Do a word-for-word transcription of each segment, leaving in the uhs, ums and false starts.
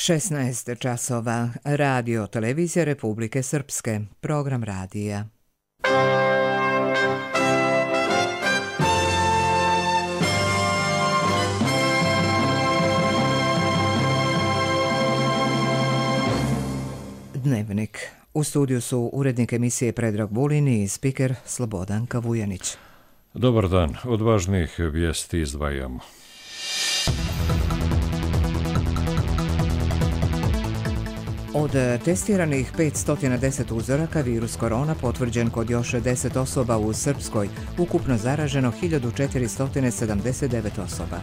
šesnaest časova. Radio Televizija Republike Srpske. Program radija. Dnevnik. U studiju su urednik emisije Predrag Vulin i spiker Slobodan Kavujanić. Dobar dan. Od važnijih vijesti izdvajamo. Od testiranih petsto deset uzoraka virus korona potvrđen kod još deset osoba u Srpskoj, ukupno zaraženo hiljadu četiristo sedamdeset devet osoba.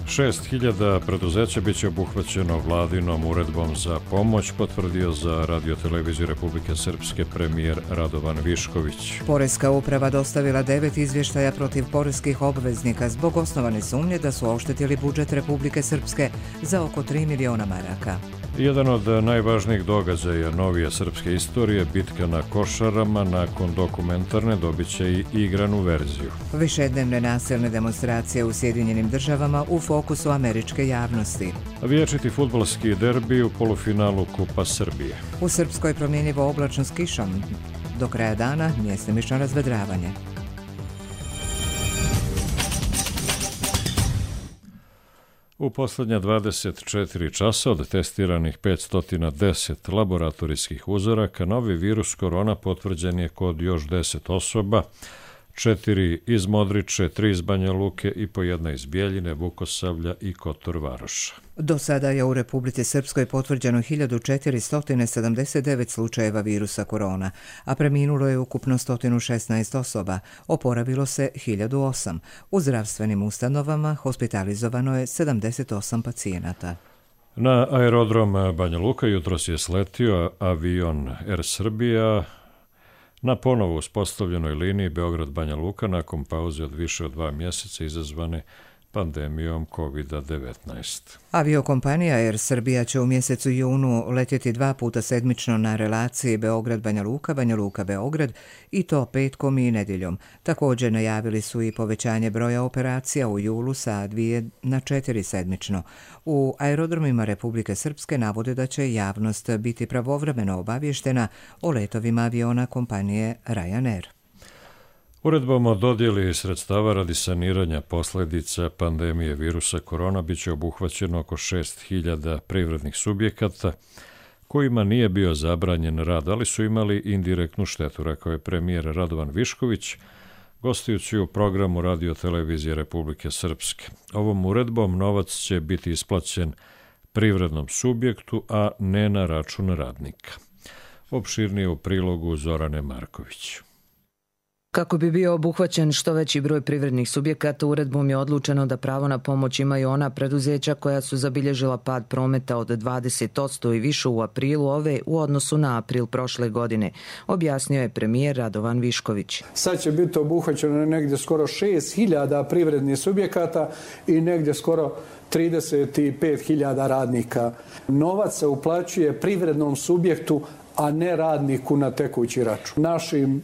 šest hiljada preduzeća biće obuhvaćeno vladinom uredbom za pomoć, potvrdio za Radio Televiziju Republike Srpske premijer Radovan Višković. Poreska uprava dostavila devet izvještaja protiv poreskih obveznika zbog osnovane sumnje da su oštetili budžet Republike Srpske za oko tri miliona maraka. Jedan od najvažnijih događaja novije srpske istorije, bitka na Košarama, nakon dokumentarne dobit će i igranu verziju. Višednevne nasilne demonstracije u Sjedinjenim državama u fokusu američke javnosti. Vječiti fudbalski derbi u polufinalu Kupa Srbije. U Srpskoj promjenjivo oblačno s kišom. Do kraja dana mjestimično razvedravanje. U posljednja dvadeset četiri časa od testiranih petsto deset laboratorijskih uzoraka, novi virus korona potvrđen je kod još deset osoba, četiri iz Modriče, tri iz Banja Luke i po jedna iz Bjeljine, Vukosavlja i Kotor Varoša. Do sada je u Republici Srpskoj potvrđeno hiljadu četiristo sedamdeset devet slučajeva virusa korona, a preminulo je ukupno sto šesnaest osoba, oporavilo se hiljadu osam. U zdravstvenim ustanovama hospitalizovano je sedamdeset osam pacijenata. Na aerodrom Banja Luka jutros je sletio avion Air Srbija na ponovo uspostavljenoj liniji Beograd-Banja Luka nakon pauze od više od dva mjeseca izazvane pandemijom kovid devetnaest. Aviokompanija Air Srbija će u mjesecu junu letjeti dva puta sedmično na relaciji Beograd-Banja Luka, Banja Luka-Beograd i to petkom i nedjeljom. Također najavili su i povećanje broja operacija u julu sa dvije na četiri sedmično. U aerodromima Republike Srpske navode da će javnost biti pravovremeno obavještena o letovima aviona kompanije Ryanair. Uredbom o dodjeli sredstava radi saniranja posljedica pandemije virusa korona bit će obuhvaćeno oko šest hiljada privrednih subjekata kojima nije bio zabranjen rad, ali su imali indirektnu štetu, rekao je premijer Radovan Višković, gostujući u programu Radio Televizije Republike Srpske. Ovom uredbom novac će biti isplaćen privrednom subjektu, a ne na račun radnika. Opširnije u prilogu Zorane Marković. Kako bi bio obuhvaćen što veći broj privrednih subjekata, uredbom je odlučeno da pravo na pomoć imaju ona preduzeća koja su zabilježila pad prometa od dvadeset posto i više u aprilu ove u odnosu na april prošle godine, objasnio je premijer Radovan Višković. Sad će biti obuhvaćeno negdje skoro šest hiljada privrednih subjekata i negdje skoro trideset pet hiljada radnika. Novac se uplaćuje privrednom subjektu, a ne radniku na tekući račun. Našim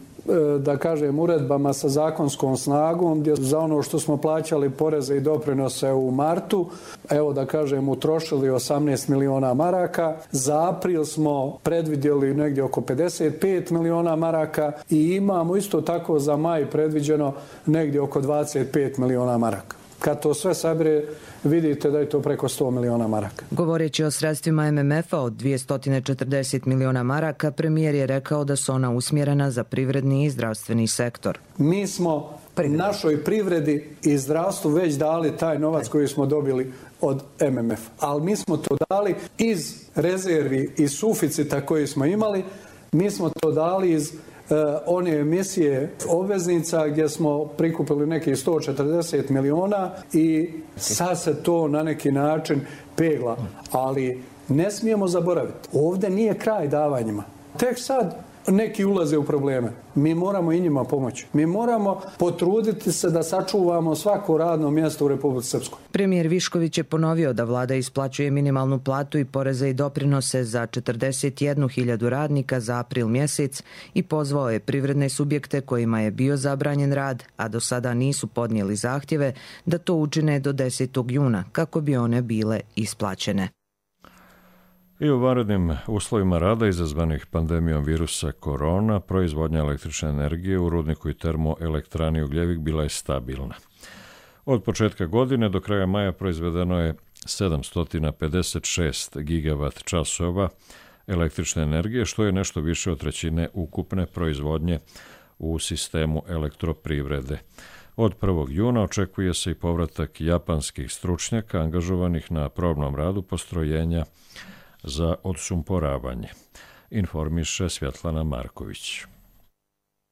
da kažem, uredbama sa zakonskom snagom, gdje za ono što smo plaćali poreze i doprinose u martu, evo da kažem, utrošili osamnaest miliona maraka. Za april smo predvidjeli negdje oko pedeset pet miliona maraka i imamo isto tako za maj predviđeno negdje oko dvadeset pet miliona maraka. Kad to sve sabire, vidite da je to preko sto miliona maraka. Govoreći o sredstvima M M F-a od dvjesto četrdeset miliona maraka, premijer je rekao da su ona usmjerena za privredni i zdravstveni sektor. Mi smo Privredi. našoj privredi i zdravstvu već dali taj novac koji smo dobili od M M F. Ali mi smo to dali iz rezervi, iz suficita koji smo imali, mi smo to dali iz Uh, one emisije obveznica gdje smo prikupili nekih sto četrdeset miliona i sad se to na neki način pegla. Ali ne smijemo zaboraviti, ovdje nije kraj davanjima. Tek sad neki ulaze u probleme. Mi moramo i njima pomoći. Mi moramo potruditi se da sačuvamo svako radno mjesto u Republici Srpskoj. Premijer Višković je ponovio da vlada isplaćuje minimalnu platu i poreze i doprinose za četrdeset jednu hiljadu radnika za april mjesec i pozvao je privredne subjekte kojima je bio zabranjen rad, a do sada nisu podnijeli zahtjeve, da to učine do desetog juna kako bi one bile isplaćene. I u vanrednim uslovima rada izazvanih pandemijom virusa korona, proizvodnja električne energije u rudniku i termoelektrani Ugljevik bila je stabilna. Od početka godine do kraja maja proizvedeno je sedamsto pedeset šest gigavat časova električne energije, što je nešto više od trećine ukupne proizvodnje u sistemu elektroprivrede. Od prvog juna očekuje se i povratak japanskih stručnjaka angažovanih na probnom radu postrojenja za odsumporavanje, informiše Svjetlana Marković.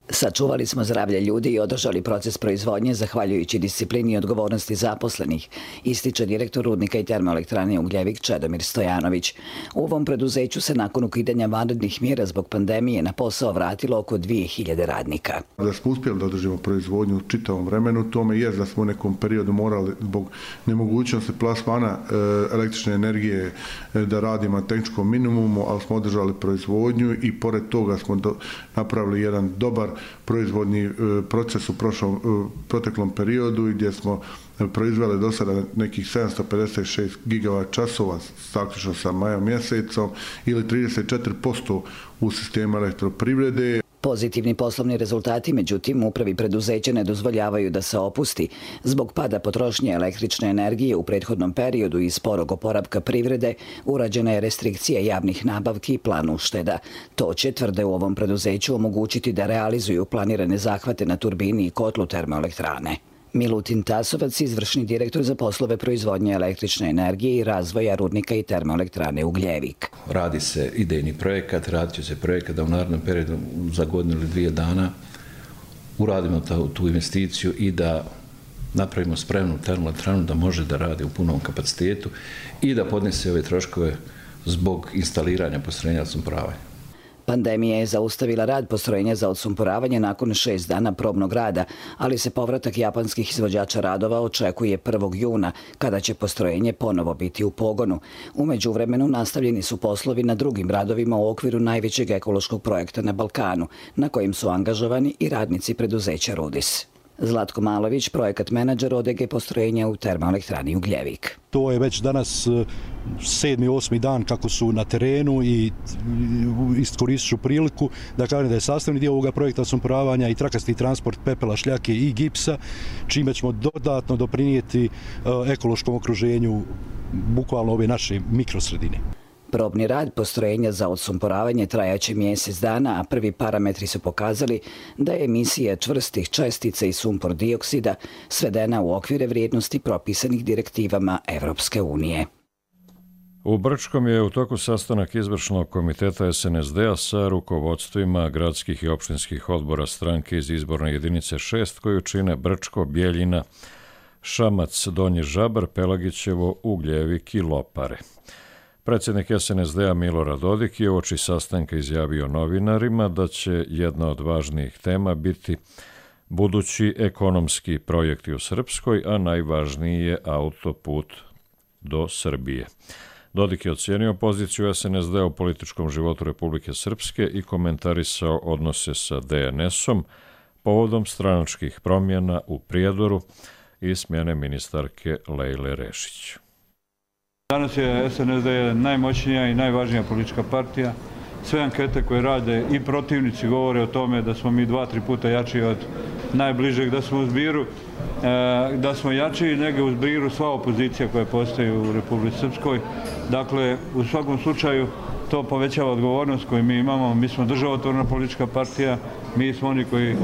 Sačuvali smo zdravlje ljudi i održali proces proizvodnje zahvaljujući disciplini i odgovornosti zaposlenih, ističe direktor rudnika i termoelektrane Ugljevik Čedomir Stojanović. U ovom preduzeću se nakon ukidanja vanrednih mjera zbog pandemije na posao vratilo oko dvije hiljade radnika. Da smo uspjeli da održimo proizvodnju u čitavom vremenu, tome je da smo u nekom periodu morali zbog nemogućnosti plasmana e, električne energije e, da radimo na tehničkom minimumu, ali smo održali proizvodnju i pored toga smo do, napravili jedan dobar proizvodni proces u prošlom, proteklom periodu gdje smo proizveli do sada nekih sedamsto pedeset šest gigavat časova zaključno sa majom mjesecom ili trideset četiri posto u sistemu elektroprivrede. Pozitivni poslovni rezultati, međutim, upravi preduzeća ne dozvoljavaju da se opusti. Zbog pada potrošnje električne energije u prethodnom periodu i sporog oporavka privrede, urađena je restrikcija javnih nabavki i plan ušteda. To će, tvrde u ovom preduzeću, omogućiti da realizuju planirane zahvate na turbini i kotlu termoelektrane. Milutin Tasovac, izvršni direktor za poslove proizvodnje električne energije i razvoja rudnika i termoelektrane Ugljevik. Radi se idejni projekat, radit će se projekat da u narednom periodu za godinu ili dvije dana uradimo ta, tu investiciju i da napravimo spremnu termoelektranu da može da radi u punom kapacitetu i da podnese ove troškove zbog instaliranja postrojenja odsumporavanja. Pandemija je zaustavila rad postrojenja za odsumporavanje nakon šest dana probnog rada, ali se povratak japanskih izvođača radova očekuje prvog juna, kada će postrojenje ponovo biti u pogonu. U međuvremenu nastavljeni su poslovi na drugim radovima u okviru najvećeg ekološkog projekta na Balkanu, na kojem su angažovani i radnici preduzeća Rudis. Zlatko Malović, projekat menadžer O D G postrojenja u termoelektrani Ugljevik. To je već danas sedmi, osmi dan kako su na terenu i iskoristit ću priliku da kažem da je sastavni dio ovoga projekta odsumporavanja i trakasti transport pepela, šljake i gipsa, čime ćemo dodatno doprinijeti ekološkom okruženju bukvalno ove naše mikrosredine. Probni rad postrojenja za odsumporavanje trajaće mjesec dana, a prvi parametri su pokazali da je emisija čvrstih čestica i sumpor dioksida svedena u okvire vrijednosti propisanih direktivama Evropske unije. U Brčkom je u toku sastanak izvršnog komiteta S N S D-a sa rukovodstvima gradskih i opštinskih odbora stranke iz izborne jedinice šest koju čine Brčko, Bjeljina, Šamac, Donji Žabar, Pelagićevo, Ugljevik i Lopare. Predsjednik S N S D-a Milorad Dodik je uoči sastanka izjavio novinarima da će jedna od važnijih tema biti budući ekonomski projekti u Srpskoj, a najvažniji je autoput do Srbije. Dodik je ocijenio poziciju S N S D-a u političkom životu Republike Srpske i komentarisao odnose sa D N S-om povodom stranačkih promjena u Prijedoru i smjene ministarke Lejle Rešić. Danas je S N S D najmoćnija i najvažnija politička partija. Sve ankete koje rade i protivnici govore o tome da smo mi dva, tri puta jači od najbližeg, da smo u zbiru, da smo jači nego u zbiru sva opozicija koja postoji u Republici Srpskoj. Dakle, u svakom slučaju to povećava odgovornost koju mi imamo. Mi smo državotvorna politička partija, mi smo oni koji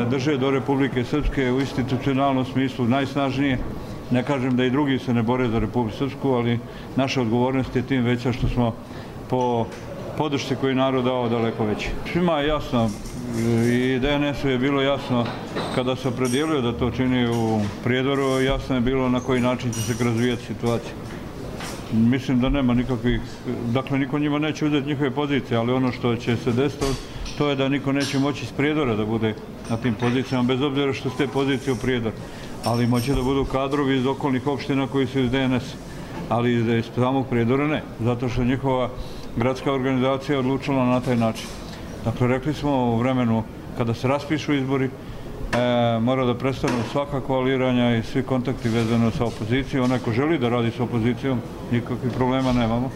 drže do Republike Srpske u institucionalnom smislu najsnažnije. Ne kažem da i drugi se ne bore za Republiku Srpsku, ali naša odgovornost je tim veća što smo po podršci koju narod dao daleko veći. Svima je jasno i D N S-u je bilo jasno kada se opredijelio da to čini u Prijedoru, jasno je bilo na koji način će se razvijati situacija. Mislim da nema nikakvih, dakle niko njima neće uzeti njihove pozicije, ali ono što će se desiti to je da niko neće moći iz Prijedora da bude na tim pozicijama, bez obzira što su te pozicije u Prijedoru. Ali moće da budu kadrovi iz okolnih opština koji su iz D N S, ali iz samog Prijedora ne, zato što njihova gradska organizacija je odlučila na taj način. Dakle, rekli smo u vremenu kada se raspišu izbori, e, mora da prestanu svaka koaliranja i svi kontakti vezano sa opozicijom. Onaj ko želi da radi sa opozicijom, nikakvih problema nemamo.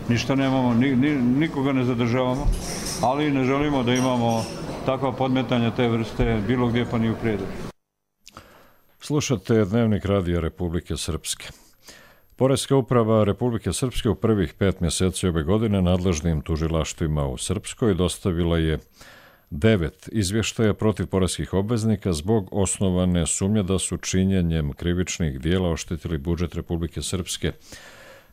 ništa nemamo, ni, ni, nikoga ne zadržavamo, ali ne želimo da imamo takva podmetanja te vrste bilo gdje pa ni u Prijedor. Slušate Dnevnik Radija Republike Srpske. Poreska uprava Republike Srpske u prvih pet mjeseci ove godine nadležnim tužilaštvima u Srpskoj dostavila je devet izvještaja protiv poreskih obveznika zbog osnovane sumnje da su činjenjem krivičnih dijela oštetili budžet Republike Srpske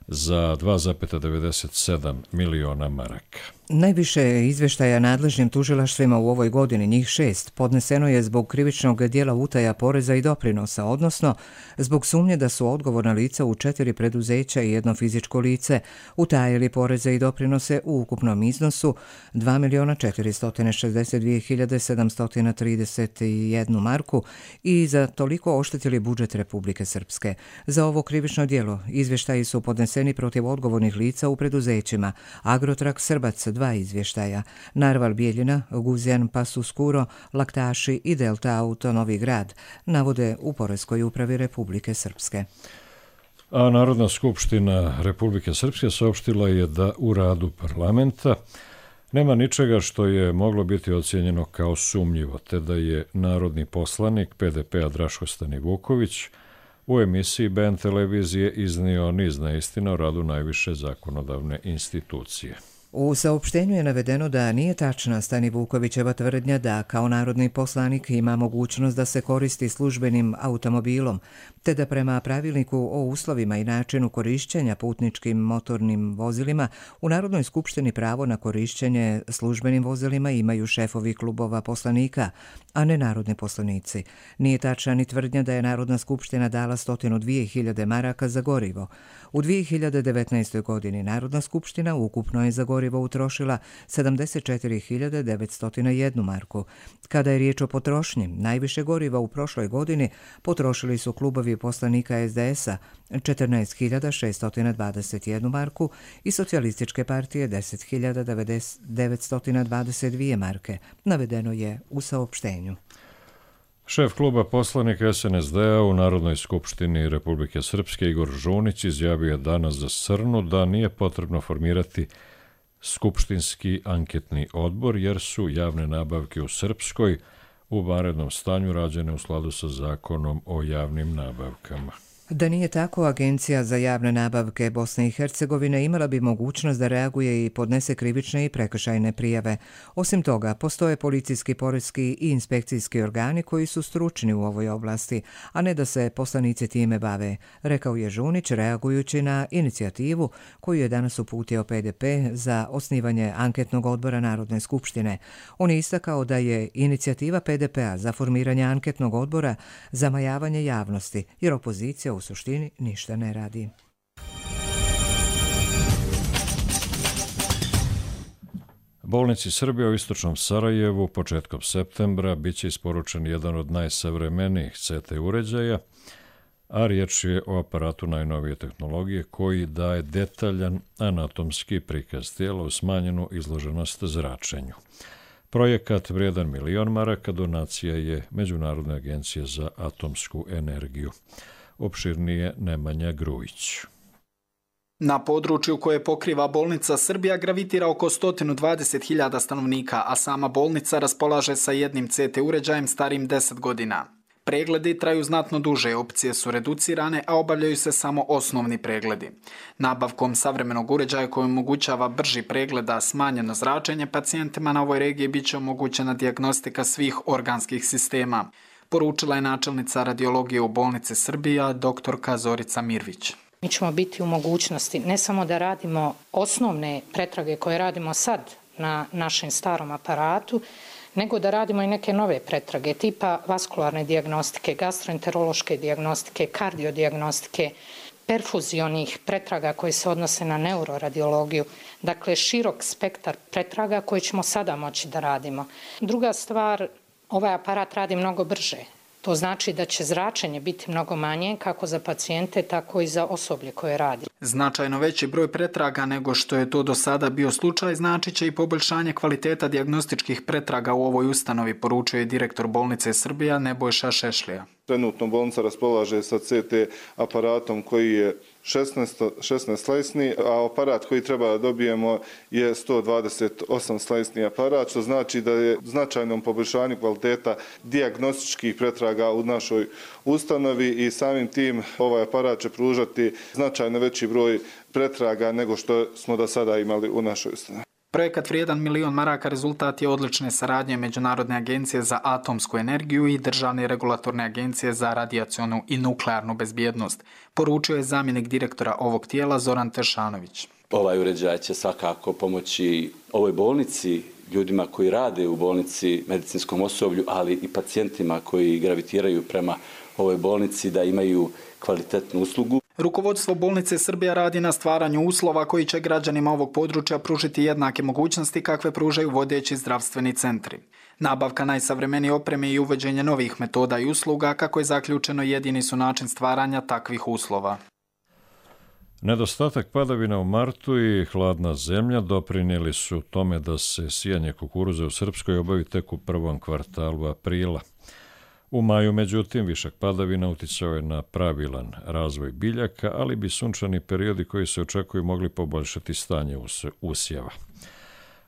za dva zarez devedeset sedam miliona maraka. Najviše izvještaja nadležnim tužilaštvima u ovoj godini, njih šest, podneseno je zbog krivičnog dijela utaja poreza i doprinosa, odnosno zbog sumnje da su odgovorna lica u četiri preduzeća i jedno fizičko lice utajili poreze i doprinose u ukupnom iznosu dva miliona četiristo šezdeset dvije hiljade sedamsto trideset jednu marku i za toliko oštetili budžet Republike Srpske. Za ovo krivično dijelo izvještaji su podneseni protiv odgovornih lica u preduzećima Agrotrak Srbac dva izvještaja, Narval Bijeljina, Guzjan Pasuskuro, Laktaši i Delta Auto Novi Grad, navode u Poreskoj upravi Republike Srpske. A Narodna skupština Republike Srpske saopštila je da u radu parlamenta nema ničega što je moglo biti ocijenjeno kao sumnjivo, te da je narodni poslanik P D P-a Draško Stanivuković u emisiji B N televizije iznio niz neistina o radu najviše zakonodavne institucije. U saopštenju je navedeno da nije tačna Stanivukovićeva tvrdnja da kao narodni poslanik ima mogućnost da se koristi službenim automobilom, te da prema pravilniku o uslovima i načinu korišćenja putničkim motornim vozilima u Narodnoj skupštini pravo na korišćenje službenim vozilima imaju šefovi klubova poslanika, a ne narodni poslanici. Nije tačna ni tvrdnja da je Narodna skupština dala sto dvije hiljade maraka za gorivo. U dvije hiljade devetnaestoj. godini Narodna skupština ukupno je za gorivo utrošila sedamdeset četiri hiljade devetsto jednu marku. Kada je riječ o potrošnji, najviše goriva u prošloj godini potrošili su klubovi poslanika S D S-a četrnaest hiljada šesto dvadeset jednu marku i Socijalističke partije deset hiljada devetsto dvadeset dvije marke, navedeno je u saopštenju. Šef kluba poslanika S N S D-a u Narodnoj skupštini Republike Srpske Igor Žunić izjavio je danas za Srnu da nije potrebno formirati skupštinski anketni odbor jer su javne nabavke u Srpskoj u vanrednom stanju rađene u skladu sa zakonom o javnim nabavkama. Da nije tako, Agencija za javne nabavke Bosne i Hercegovine imala bi mogućnost da reaguje i podnese krivične i prekršajne prijave. Osim toga, postoje policijski, poreski i inspekcijski organi koji su stručni u ovoj oblasti, a ne da se poslanici time bave, rekao je Žunić reagujući na inicijativu koju je danas uputio P D P za osnivanje anketnog odbora Narodne skupštine. On je istakao da je inicijativa P D P-a za formiranje anketnog odbora zamajavanje javnosti, jer opozicija u suštini ništa ne radi. Bolnici Srbije u istočnom Sarajevu početkom septembra biće isporučen jedan od najsavremenijih C T uređaja, a riječ je o aparatu najnovije tehnologije koji daje detaljan anatomski prikaz tijela u smanjenu izloženost zračenju. Projekat vrijedan milion maraka donacija je Međunarodne agencije za atomsku energiju. Opširnije Nemanja Grujić. Na području koje pokriva bolnica Srbija gravitira oko sto dvadeset hiljada stanovnika, a sama bolnica raspolaže sa jednim C T uređajem starim deset godina. Pregledi traju znatno duže, opcije su reducirane, a obavljaju se samo osnovni pregledi. Nabavkom savremenog uređaja koji omogućava brži pregled, a smanjeno zračenje, pacijentima na ovoj regiji biće omogućena dijagnostika svih organskih sistema, poručila je načelnica radiologije u bolnici Srbija, doktorka Zorica Mirvić. Mi ćemo biti u mogućnosti ne samo da radimo osnovne pretrage koje radimo sad na našem starom aparatu, nego da radimo i neke nove pretrage tipa vaskularne dijagnostike, gastroenterološke dijagnostike, kardiodijagnostike, perfuzionih pretraga koje se odnose na neuroradiologiju. Dakle, širok spektar pretraga koje ćemo sada moći da radimo. Druga stvar, ovaj aparat radi mnogo brže. To znači da će zračenje biti mnogo manje kako za pacijente, tako i za osoblje koje radi. Značajno veći broj pretraga nego što je to do sada bio slučaj znači će i poboljšanje kvaliteta dijagnostičkih pretraga u ovoj ustanovi, poručuje direktor bolnice Srbija Nebojša Šešlija. Trenutno bolnica raspolaže sa C T aparatom koji je šesnaest slajsni, a aparat koji treba da dobijemo je sto dvadeset osam slajsni aparat, što znači da je značajnom poboljšanju kvaliteta dijagnostičkih pretraga u našoj ustanovi i samim tim ovaj aparat će pružati značajno veći broj pretraga nego što smo do sada imali u našoj ustanovi. Projekat vrijedan milion maraka rezultat je odlične saradnje Međunarodne agencije za atomsku energiju i Državne regulatorne agencije za radijacionu i nuklearnu bezbjednost, poručio je zamjenik direktora ovog tijela Zoran Teršanović. Ovaj uređaj će svakako pomoći ovoj bolnici, ljudima koji rade u bolnici, medicinskom osoblju, ali i pacijentima koji gravitiraju prema ovoj bolnici da imaju kvalitetnu uslugu. Rukovodstvo bolnice Srbija radi na stvaranju uslova koji će građanima ovog područja pružiti jednake mogućnosti kakve pružaju vodeći zdravstveni centri. Nabavka najsavremenije opreme i uvođenje novih metoda i usluga, kako je zaključeno, jedini su način stvaranja takvih uslova. Nedostatak padavina u martu i hladna zemlja doprinijeli su tome da se sijanje kukuruza u Srpskoj obavi tek u prvom kvartalu aprila. U maju, međutim, višak padavina uticao je na pravilan razvoj biljaka, ali bi sunčani periodi koji se očekuju mogli poboljšati stanje usjeva.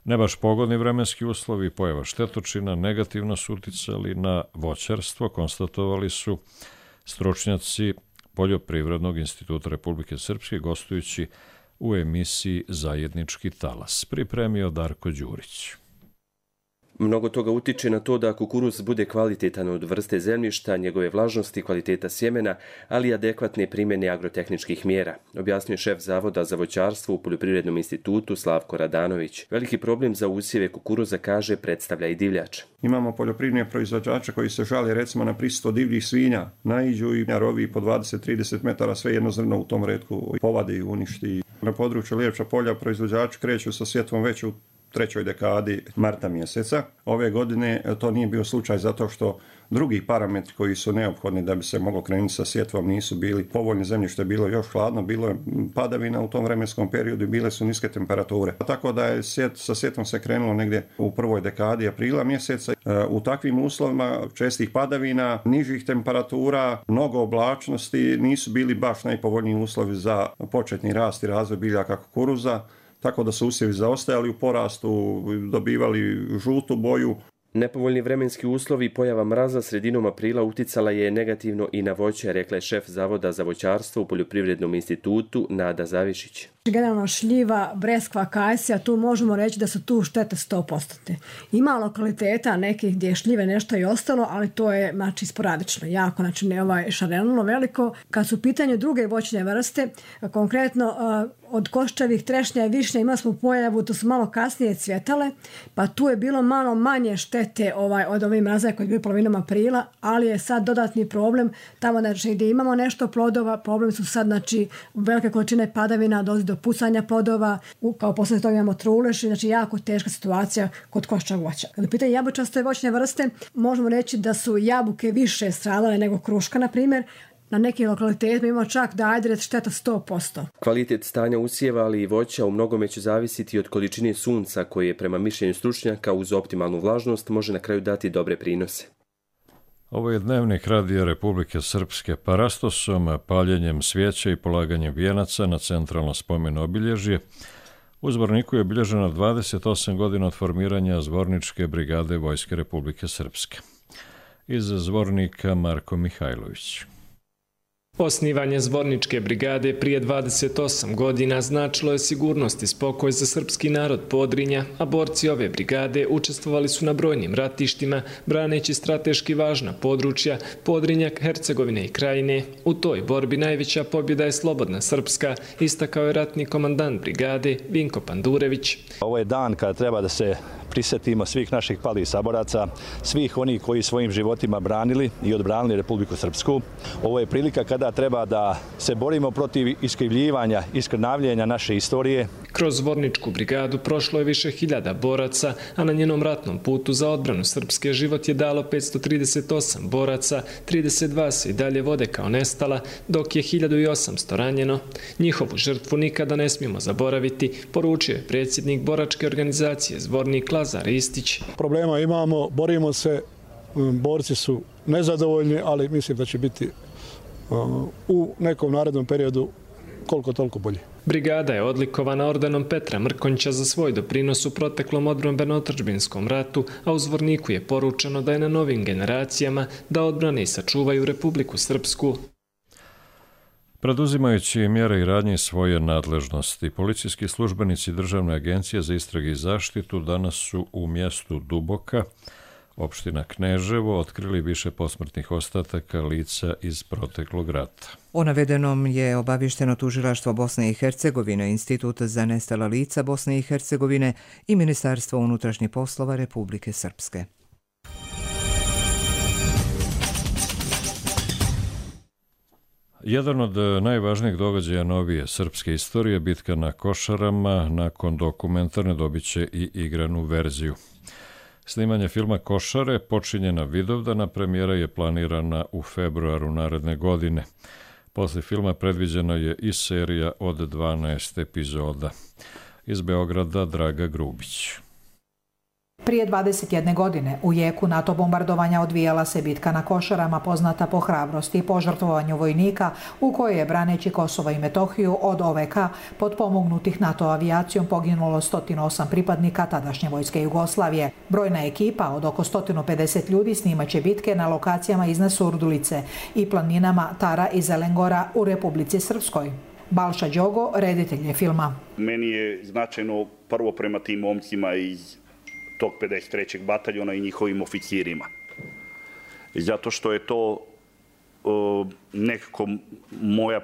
Ne baš pogodni vremenski uslovi i pojava štetočina negativno su uticali na voćarstvo, konstatovali su stručnjaci Poljoprivrednog instituta Republike Srpske gostujući u emisiji Zajednički talas. Pripremio Darko Đurić. Mnogo toga utiče na to da kukuruz bude kvalitetan od vrste zemljišta, njegove vlažnosti, kvaliteta sjemena, ali i adekvatne primjene agrotehničkih mjera, objasnio šef Zavoda za voćarstvo u Poljoprivrednom institutu Slavko Radanović. Veliki problem za usjeve kukuruza, kaže, predstavlja i divljač. Imamo poljoprivredne proizvođače koji se žale recimo na prisustvo divljih svinja, naiđu i rovi po dvadeset do trideset metara sve jedno zrno u tom retku povade i uništi. Na području Lijepča polja proizvođači kreću sa sjetvom već u trećoj dekadi marta mjeseca. Ove godine to nije bio slučaj zato što drugi parametri koji su neophodni da bi se moglo krenuti sa sjetvom nisu bili povoljni, zemljište je bilo još hladno, bilo je padavina u tom vremenskom periodu i bile su niske temperature. Tako da je sjet, sa sjetvom se krenulo negdje u prvoj dekadi aprila mjeseca. U takvim uslovima čestih padavina, nižih temperatura, mnogo oblačnosti nisu bili baš najpovoljniji uslovi za početni rast i razvoj biljaka kukuruza. Tako da su usjevi zaostajali u porastu, dobivali žutu boju. Nepovoljni vremenski uslovi i pojava mraza sredinom aprila uticala je negativno i na voće, rekla je šef Zavoda za voćarstvo u Poljoprivrednom institutu Nada Zavišić. Generalno šljiva, breskva, kajsija, tu možemo reći da su tu štete sto posto. Ima lokaliteta nekih gdje je šljive nešto i ostalo, ali to je znači sporadično, jako, znači ne ovaj šarenilo veliko. Kad su u pitanju druge voćne vrste, konkretno od koščevih, trešnja i višnja imali smo pojavu, to su malo kasnije cvjetale, pa tu je bilo malo manje štete ovaj, od ovih mraza koji je bio polovinom aprila, ali je sad dodatni problem tamo znači, gdje imamo nešto plodova, problem su sad znači velike količine padavina, dolazi do pucanja plodova, kao posljedica toga imamo trulež, znači jako teška situacija kod koščevog voća. Kada u pitanju jabučaste voćne vrste, možemo reći da su jabuke više stradale nego kruška, na primjer. Na nekim lokalitetima imamo čak da ajdered šteta sto posto. Kvalitet stanja usjeva, ali i voća u mnogome će zavisiti od količine sunca koje prema mišljenju stručnjaka uz optimalnu vlažnost može na kraju dati dobre prinose. Ovo je dnevnik Radija Republike Srpske. Parastosom, paljenjem svijeća i polaganjem vijenaca na centralno spomen obilježje u Zvorniku je obilježeno dvadeset osam godina od formiranja Zvorničke brigade Vojske Republike Srpske. Iz Zvornika Marko Mihajlović. Osnivanje Zvorničke brigade prije dvadeset osam godina značilo je sigurnost i spokoj za srpski narod Podrinja, a borci ove brigade učestvovali su na brojnim ratištima, braneći strateški važna područja Podrinja, Hercegovine i Krajine. U toj borbi najveća pobjeda je slobodna srpska, istakao je ratni komandant brigade Vinko Pandurević. Ovo je dan kada treba da se prisjetimo svih naših palih saboraca, svih onih koji svojim životima branili i odbranili Republiku Srpsku. Ovo je prilika kada treba da se borimo protiv iskrivljivanja, iskrnavljenja naše istorije. Kroz Zvorničku brigadu prošlo je više hiljada boraca, a na njenom ratnom putu za odbranu Srpske život je dalo petsto trideset osam boraca, trideset dva se i dalje vode kao nestala, dok je hiljadu osamsto ranjeno. Njihovu žrtvu nikada ne smijemo zaboraviti, poručio je predsjednik boračke organizacije Zvornik Lazar Istić. Problema imamo, borimo se borci su nezadovoljni, ali mislim da će biti u nekom narednom periodu koliko toliko bolje. Brigada je odlikovana ordenom Petra Mrkonjića za svoj doprinos u proteklom odbrambeno-otadžbinskom ratu, a u Zvorniku je poručeno da je na novim generacijama da odbrane i sačuvaju Republiku Srpsku. Preduzimajući mjere i radnje svoje nadležnosti, policijski službenici Državne agencije za istrage i zaštitu danas su u mjestu Duboka, opština Kneževo, otkrili više posmrtnih ostataka lica iz proteklog rata. O navedenom je obavješteno Tužilaštvo Bosne i Hercegovine, Institut za nestala lica Bosne i Hercegovine i Ministarstvo unutrašnjih poslova Republike Srpske. Jedan od najvažnijih događaja novije srpske istorije, bitka na Košarama, nakon dokumentarne dobit će i igranu verziju. Snimanje filma Košare počinje na Vidovdana, premijera je planirana u februaru naredne godine. Posle filma predviđena je i serija od dvanaest epizoda. Iz Beograda Draga Grubić. Prije dvadeset jedne godine u jeku NATO bombardovanja odvijala se bitka na Košarama, poznata po hrabrosti i požrtvovanju vojnika, u kojoj je, braneći Kosovo i Metohiju od O V K potpomognutih NATO avijacijom, poginulo sto osam pripadnika tadašnje vojske Jugoslavije. Brojna ekipa od oko sto pedeset ljudi snimaće bitke na lokacijama iznad Surdulice i planinama Tara i Zelengora u Republici Srpskoj. Balša Đogo, reditelj je filma. Meni je značajno prvo prema tim momcima iz tog pedeset trećeg bataljona i njihovim oficirima. Zato što je to uh, nekako moja,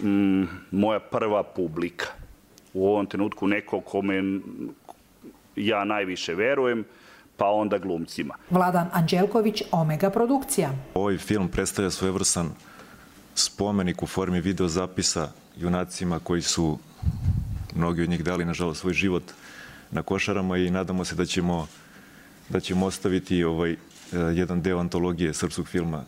um, moja prva publika. U ovom trenutku neko kome ja najviše verujem, pa onda glumcima. Vladan Anđelković, Omega produkcija. Ovaj film predstavlja svojevrstan spomenik u formi videozapisa junacima koji su, mnogi od njih dali, nažalost, svoj život na Košarama i nadamo se da ćemo, da ćemo ostaviti ovaj jedan deo antologije srpskog filma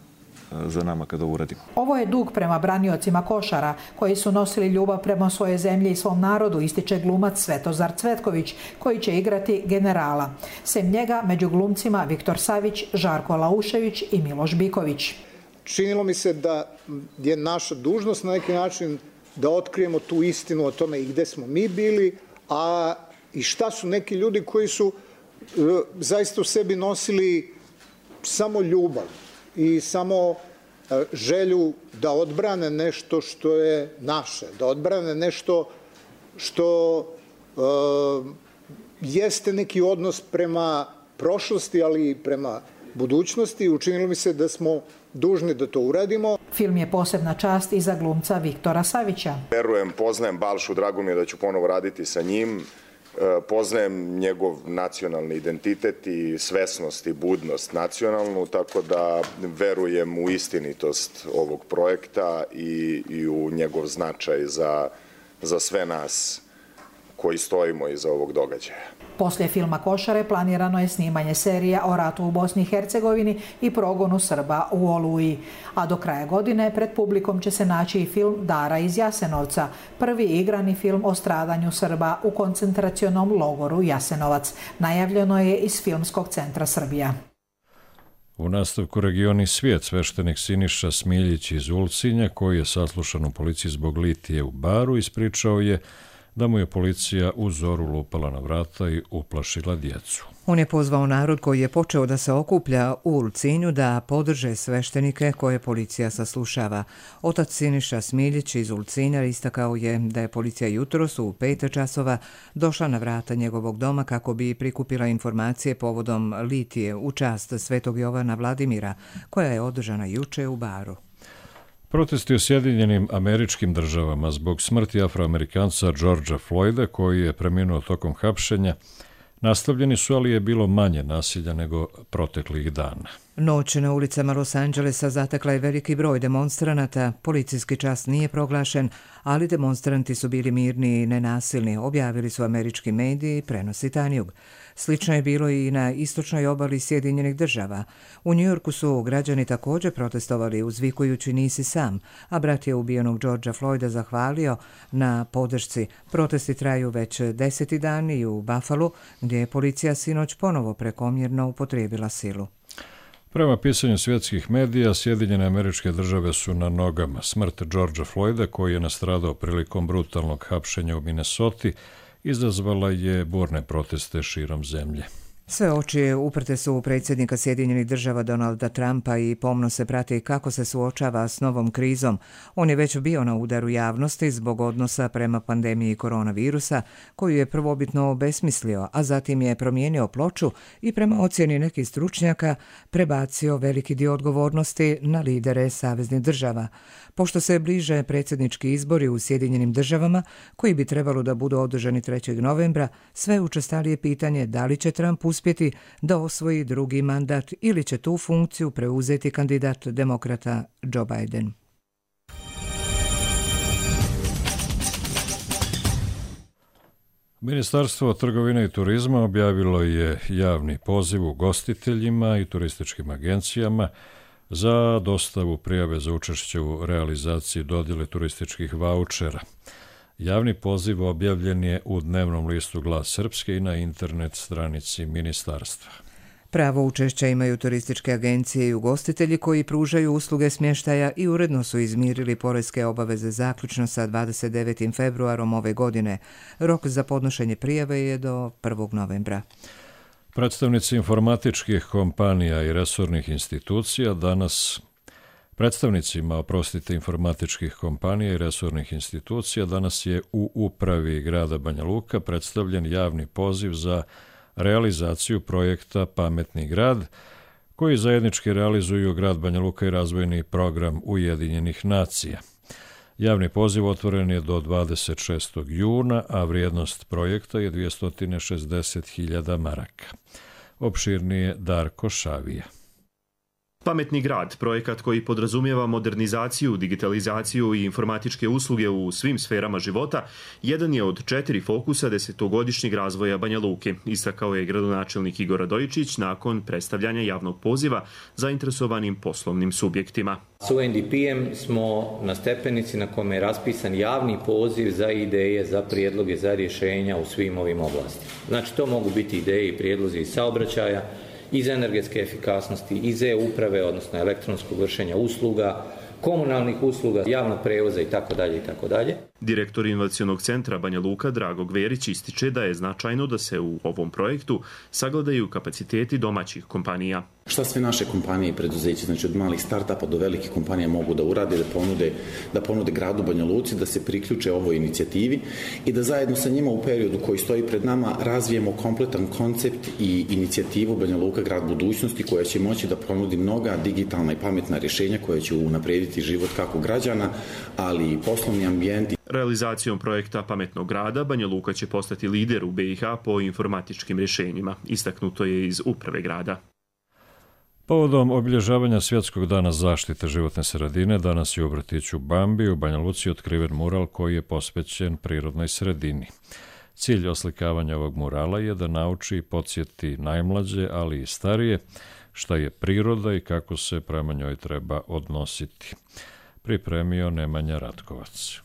za nama kada uradimo. Ovo je dug prema braniocima Košara, koji su nosili ljubav prema svojoj zemlji i svom narodu, ističe glumac Svetozar Cvetković, koji će igrati generala. Sem njega, među glumcima Viktor Savić, Žarko Laušević i Miloš Biković. Činilo mi se da je naša dužnost na neki način da otkrijemo tu istinu o tome i gde smo mi bili, a i šta su neki ljudi koji su e, zaista u sebi nosili samo ljubav i samo e, želju da odbrane nešto što je naše, da odbrane nešto što e, jeste neki odnos prema prošlosti, ali i prema budućnosti. Učinilo mi se da smo dužni da to uradimo. Film je posebna čast i za glumca Viktora Savića. Verujem, poznajem Balšu, drago mi je da ću ponovo raditi sa njim. Poznajem njegov nacionalni identitet i svesnost i budnost nacionalnu, tako da verujem u istinitost ovog projekta i, i u njegov značaj za, za sve nas koji stojimo iza ovog događaja. Poslije filma Košare planirano je snimanje serija o ratu u Bosni i Hercegovini i progonu Srba u Oluji. A do kraja godine pred publikom će se naći i film Dara iz Jasenovca, prvi igrani film o stradanju Srba u koncentracionom logoru Jasenovac. Najavljeno je iz Filmskog centra Srbija. U nastavku Regioni svijet sveštenik Siniša Smiljić iz Ulcinja, koji je saslušan u policiji zbog litije u baru, ispričao je da mu je policija u zoru lupala na vrata i uplašila djecu. On je pozvao narod koji je počeo da se okuplja u Ulcinju da podrže sveštenike koje policija saslušava. Otac Siniša Smiljić iz Ulcinja istakao je da je policija jutros u pet časova došla na vrata njegovog doma kako bi prikupila informacije povodom litije u čast Svetog Jovana Vladimira, koja je održana juče u baru. Protesti u Sjedinjenim Američkim Državama zbog smrti Afroamerikanca Georgea Floyda, koji je preminuo tokom hapšenja, nastavljeni su, ali je bilo manje nasilja nego proteklih dana. Noć na ulicama Los Angelesa zatekla je veliki broj demonstranata. Policijski čas nije proglašen, ali demonstranti su bili mirni i nenasilni, objavili su američki mediji, prenosi Tanjug. Slično je bilo i na istočnoj obali Sjedinjenih država. U Njujorku su građani također protestovali uzvikujući nisi sam, a brat je ubijenog Georgea Floyda zahvalio na podršci. Protesti traju već deseti dan i u Buffalu, gdje je policija sinoć ponovo prekomjerno upotrijebila silu. Prema pisanju svjetskih medija, Sjedinjene Američke Države su na nogama. Smrt Georgea Floyda, koji je nastradao prilikom brutalnog hapšenja u Minnesoti, izazvala je burne proteste širom zemlje. Sve oči uprte su u predsjednika Sjedinjenih Država Donalda Trumpa i pomno se prati kako se suočava s novom krizom. On je već bio na udaru javnosti zbog odnosa prema pandemiji koronavirusa, koju je prvobitno obesmislio, a zatim je promijenio ploču i prema ocjeni nekih stručnjaka prebacio veliki dio odgovornosti na lidere saveznih država. Pošto se bliže predsjednički izbori u Sjedinjenim Državama, koji bi trebalo da budu održani trećeg novembra, sve učestalije pitanje da li će Trump uspjeti da osvoji drugi mandat ili će tu funkciju preuzeti kandidat demokrata Joe Biden. Ministarstvo trgovine i turizma objavilo je javni poziv ugostiteljima i turističkim agencijama za dostavu prijave za učešće u realizaciji dodjele turističkih vaučera. Javni poziv objavljen je u dnevnom listu Glas Srpske i na internet stranici ministarstva. Pravo učešća imaju turističke agencije i ugostitelji koji pružaju usluge smještaja i uredno su izmirili poreske obaveze zaključno sa dvadeset devetim februarom ove godine. Rok za podnošenje prijave je do prvog novembra. Predstavnici informatičkih kompanija i resornih institucija danas Predstavnicima, oprostite, informatičkih kompanija i resornih institucija danas je u upravi grada Banja Luka predstavljen javni poziv za realizaciju projekta Pametni grad, koji zajednički realizuju grad Banja Luka i razvojni program Ujedinjenih nacija. Javni poziv otvoren je do dvadeset šestog juna, a vrijednost projekta je dvjesto šezdeset hiljada maraka. Opširnije Darko Šavija. Pametni grad, projekat koji podrazumijeva modernizaciju, digitalizaciju i informatičke usluge u svim sferama života, jedan je od četiri fokusa desetogodišnjeg razvoja Banja Luke, istakao je gradonačelnik Igor Radojičić nakon predstavljanja javnog poziva zainteresovanim poslovnim subjektima. S U N D P-em smo na stepenici na kome je raspisan javni poziv za ideje, za prijedloge, za rješenja u svim ovim oblastima. Znači, to mogu biti ideje i prijedlozi iz saobraćaja, iz energetske efikasnosti, iz e-uprave, odnosno elektronskog vršenja usluga, komunalnih usluga, javnog prevoza i tako dalje i tako dalje. Direktor inovacionog centra Banja Luka Drago Gverić ističe da je značajno da se u ovom projektu sagledaju kapaciteti domaćih kompanija. Šta sve naše kompanije i preduzeće, znači od malih startupa do velikih kompanija mogu da urade, da ponude, da ponude gradu Banja Luci, da se priključe ovoj inicijativi i da zajedno sa njima u periodu koji stoji pred nama razvijemo kompletan koncept i inicijativu Banja Luka grad budućnosti koja će moći da ponudi mnoga digitalna i pametna rješenja koja će unaprijediti život kako građana, ali i poslovni ambijent. Realizacijom projekta Pametnog grada Banja Luka će postati lider u B i H po informatičkim rješenjima, istaknuto je iz uprave grada. Povodom obilježavanja Svjetskog dana zaštite životne sredine, danas je u vrtiću Bambi u Banja Luci otkriven mural koji je posvećen prirodnoj sredini. Cilj oslikavanja ovog murala je da nauči i podsjeti najmlađe, ali i starije, šta je priroda i kako se prema njoj treba odnositi. Pripremio Nemanja Ratkovac.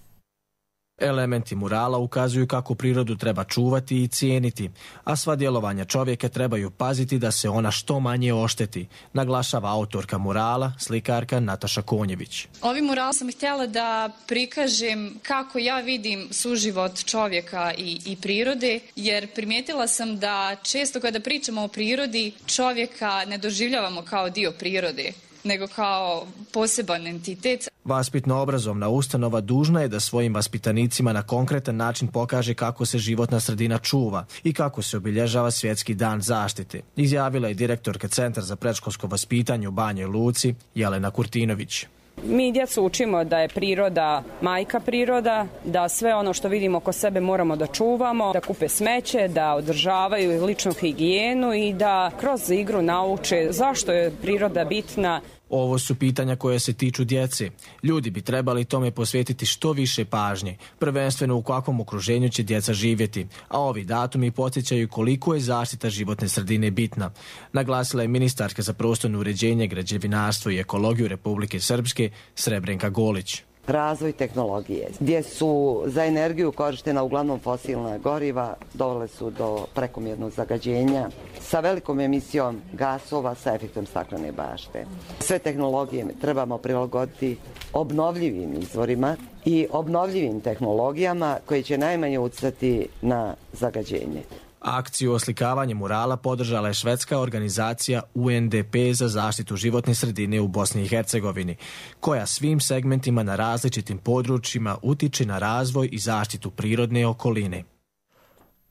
Elementi murala ukazuju kako prirodu treba čuvati i cijeniti, a sva djelovanja čovjeka trebaju paziti da se ona što manje ošteti, naglašava autorka murala, slikarka Nataša Konjević. Ovim muralom sam htjela da prikažem kako ja vidim suživot čovjeka i, i prirode, jer primijetila sam da često kada pričamo o prirodi, čovjeka ne doživljavamo kao dio prirode, nego kao poseban entitet. Vaspitno-obrazovna ustanova dužna je da svojim vaspitanicima na konkretan način pokaže kako se životna sredina čuva i kako se obilježava Svjetski dan zaštite, izjavila je direktorka Centra za predškolsko vaspitanje u Banjoj Luci Jelena Kurtinović. Mi djecu učimo da je priroda majka priroda, da sve ono što vidimo oko sebe moramo da čuvamo, da kupe smeće, da održavaju ličnu higijenu i da kroz igru nauče zašto je priroda bitna. Ovo su pitanja koje se tiču djece. Ljudi bi trebali tome posvetiti što više pažnje, prvenstveno u kakvom okruženju će djeca živjeti, a ovi datumi podsjećaju koliko je zaštita životne sredine bitna, naglasila je ministarka za prostorno uređenje, građevinarstvo i ekologiju Republike Srpske Srebrenka Golić. Razvoj tehnologije, gdje su za energiju korištena uglavnom fosilna goriva, dovele su do prekomjernog zagađenja sa velikom emisijom gasova sa efektom staklene bašte. Sve tehnologije trebamo prilagoditi obnovljivim izvorima i obnovljivim tehnologijama koje će najmanje utjecati na zagađenje. Akciju oslikavanja murala podržala je švedska organizacija U N D P za zaštitu životne sredine u Bosni i Hercegovini, koja svim segmentima na različitim područjima utiče na razvoj i zaštitu prirodne okoline.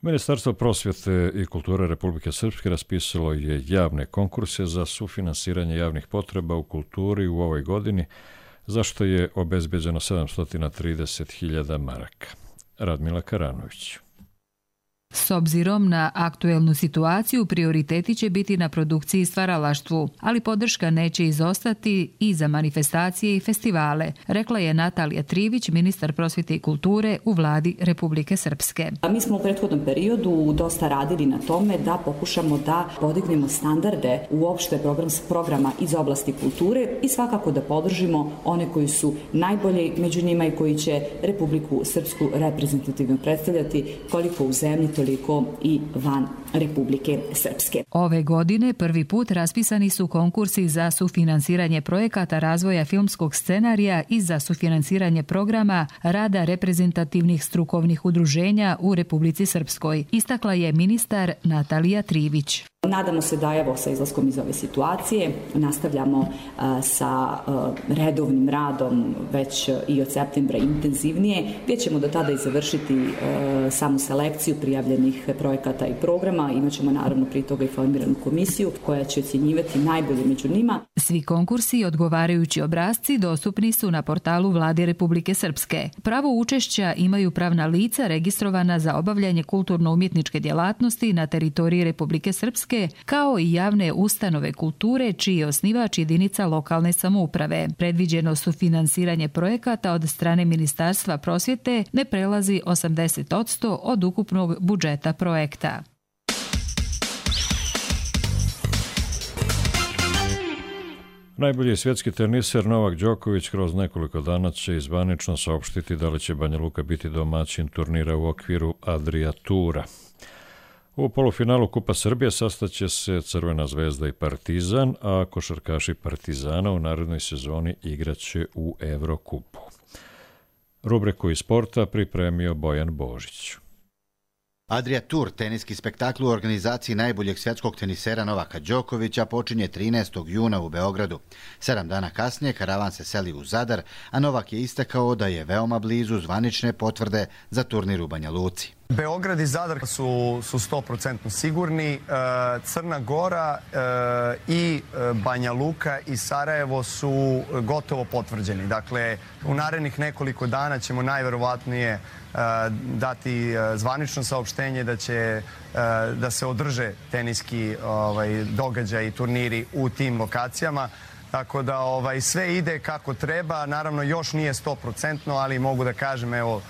Ministarstvo prosvjete i kulture Republike Srpske raspisalo je javne konkurse za sufinansiranje javnih potreba u kulturi u ovoj godini, za što je obezbeđeno sedamsto trideset hiljada maraka. Radmila Karanović. S obzirom na aktuelnu situaciju, prioriteti će biti na produkciji i stvaralaštvu, ali podrška neće izostati i za manifestacije i festivale, rekla je Natalija Trivić, ministar prosvjete i kulture u vladi Republike Srpske. Mi smo u prethodnom periodu dosta radili na tome da pokušamo da podignemo standarde uopšte program, programa iz oblasti kulture i svakako da podržimo one koji su najbolji među njima i koji će Republiku Srpsku reprezentativno predstavljati koliko u zemlji, toliko i van Republike Srpske. Ove godine prvi put raspisani su konkursi za sufinansiranje projekata razvoja filmskog scenarija i za sufinansiranje programa rada reprezentativnih strukovnih udruženja u Republici Srpskoj, istakla je ministar Natalija Trivić. Nadamo se da evo sa izlaskom iz ove situacije nastavljamo uh, sa uh, redovnim radom već i od septembra intenzivnije, gdje ćemo do tada i završiti uh, samu selekciju prijavljenih projekata i programa. Imaćemo naravno prije toga i formiranu komisiju koja će ocjenjivati najbolje među njima. Svi konkursi i odgovarajući obrasci dostupni su na portalu Vlade Republike Srpske. Pravo učešća imaju pravna lica registrovana za obavljanje kulturno-umjetničke djelatnosti na teritoriji Republike Srpske, kao i javne ustanove kulture čiji je osnivač jedinica lokalne samouprave. Predviđeno sufinansiranje projekata od strane Ministarstva prosvjete ne prelazi osamdeset posto od ukupnog budžeta projekta. Najbolji svjetski teniser Novak Đoković kroz nekoliko dana će zvanično saopštiti da li će Banja Luka biti domaćin turnira u okviru Adria Tura. U polufinalu Kupa Srbije sastaće se Crvena zvezda i Partizan, a košarkaši Partizana u narednoj sezoni igraće u Evrokupu. Rubriku iz sporta pripremio Bojan Božić. Adria Tour, teniski spektakl u organizaciji najboljeg svjetskog tenisera Novaka Đokovića, počinje trinaestog juna u Beogradu. Sedam dana kasnije karavan se seli u Zadar, a Novak je istakao da je veoma blizu zvanične potvrde za turnir u Banja Luci. Beograd i Zadar su, su sto posto sigurni. Crna Gora i Banja Luka i Sarajevo su gotovo potvrđeni. Dakle, u narednih nekoliko dana ćemo najverovatnije dati zvanično saopštenje da će da se održe teniski ovaj, događaj i turniri u tim lokacijama. Tako da ovaj, sve ide kako treba. Naravno, još nije sto posto, ali mogu da kažem, evo,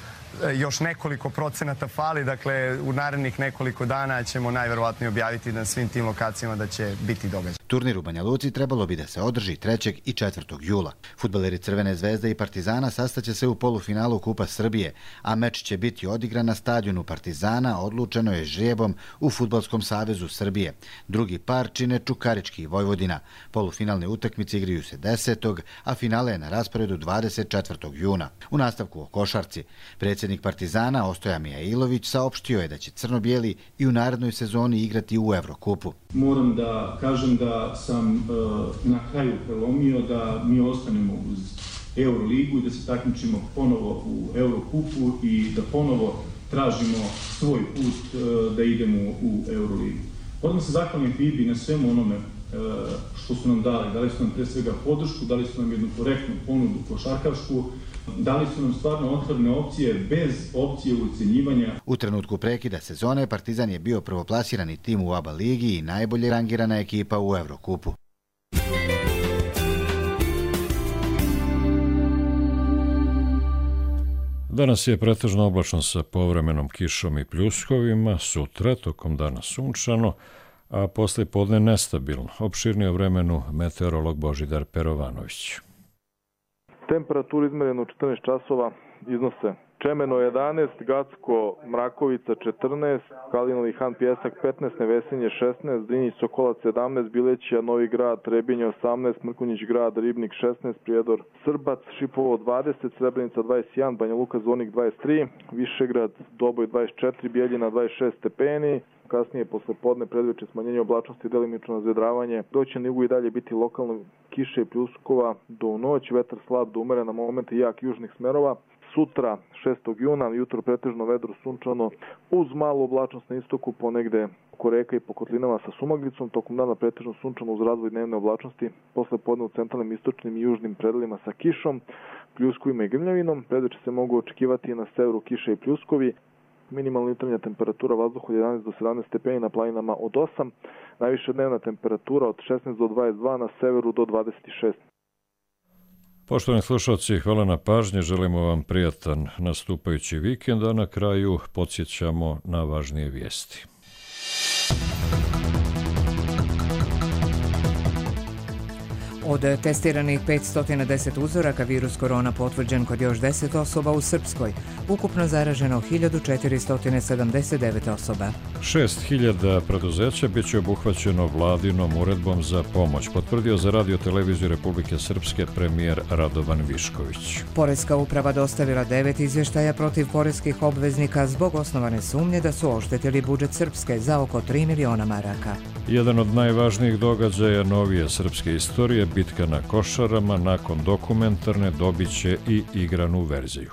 još nekoliko procenata fali, dakle u narednih nekoliko dana ćemo najverovatnije objaviti na svim tim lokacijama da će biti događaj. Turnir u Banja Luci trebalo bi da se održi trećeg i četvrtog jula. Fudbaleri Crvene zvezde i Partizana sastaće se u polufinalu Kupa Srbije, a meč će biti odigran na stadionu Partizana, odlučeno je žrijebom u Fudbalskom savezu Srbije. Drugi par čine Čukarički i Vojvodina. Polufinalne utakmice igraju se desetog a finale je na rasporedu dvadeset četvrtog juna. U nastavku o košarci, predsjednik Partizana Ostoja Mijailović saopštio je da će crno-bijeli i u narednoj sezoni igrati u Evrokupu. Moram da kažem da sam uh, na kraju prelomio da mi ostanemo uz Euroligu i da se takmičimo ponovo u Eurokupu i da ponovo tražimo svoj put uh, da idemo u Euroligu. Odmah se zahvalim F I B I na svemu onome što su nam dali. Dali su nam pre svega podršku, dali su nam jednu korektnu ponudu košarkašku, dali su nam stvarno otvorene opcije bez opcije ucenjivanja. U trenutku prekida sezone Partizan je bio prvoplasirani tim u ABA ligi i najbolje rangirana ekipa u Evrokupu. Danas je pretežno oblačno sa povremenom kišom i pljuskovima, sutra tokom dana sunčano, a posle podne nestabilno. Opširnije o vremenu meteorolog Božidar Perovanović. Temperaturu izmerenu u četrnaest časova iznose Čemeno jedanaest, Gacko, Mrakovica četrnaest, Kalinovi Han Pjesak petnaest, Nevesinje šesnaest, Drinjić Sokolac sedamnaest, Bilećija, Novi Grad, Trebinje osamnaest, Mrkonjić Grad, Ribnik šesnaest, Prijedor, Srbac, Šipovo dvadeset, Srebrenica dvadeset jedan, Banja Luka, Zvornik dvadeset tri, Višegrad, Doboj dvadeset četiri, Bijeljina dvadeset šest stepeni. Kasnije, posle podne, predveče smanjenje oblačnosti i delimično nazvedravanje. Doći na jugu i dalje biti lokalno kiše i pljuskova do noć, vetar slab do umeren na momente jak južnih smerova. Sutra, šestog juna, jutro pretežno vedro sunčano, uz malu oblačnost na istoku, ponegde oko reka i po kotlinama sa sumaglicom, tokom dana pretežno sunčano uz razvoj dnevne oblačnosti, posle podne u centralnim, istočnim i južnim predelima sa kišom, pljuskovima i grmljavinom. Predveče se mogu očekivati na severu kiše i pljuskovi. Minimalna jutarnja temperatura vazduha od jedanaest do sedamnaest stepeni, na planinama od osam, najviša dnevna temperatura od šesnaest do dvadeset dva, na severu do dvadeset šest. Poštovani slušalci, hvala na pažnji, želimo vam prijatan nastupajući vikend, a na kraju podsjećamo na važnije vijesti. Od testiranih petsto deset uzoraka virus korona potvrđen kod još deset osoba u Srpskoj. Ukupno zaraženo hiljadu četiristo sedamdeset devet osoba. šest hiljada preduzeća bit će obuhvaćeno vladinom uredbom za pomoć, potvrdio za Radio televiziju Republike Srpske premijer Radovan Višković. Poreska uprava dostavila devet izvještaja protiv poreskih obveznika zbog osnovane sumnje da su oštetili budžet Srpske za oko tri miliona maraka. Jedan od najvažnijih događaja novije srpske istorije, bitka na Košarama, nakon dokumentarne dobit će i igranu verziju.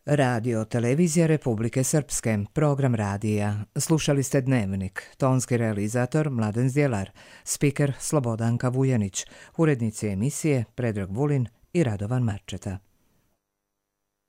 Radio televizija Republike Srpske, program radija. Slušali ste Dnevnik, tonski realizator Mladen Zdjelar, spiker Slobodanka Vujanić, urednici emisije Predrag Vulin i Radovan Marčeta.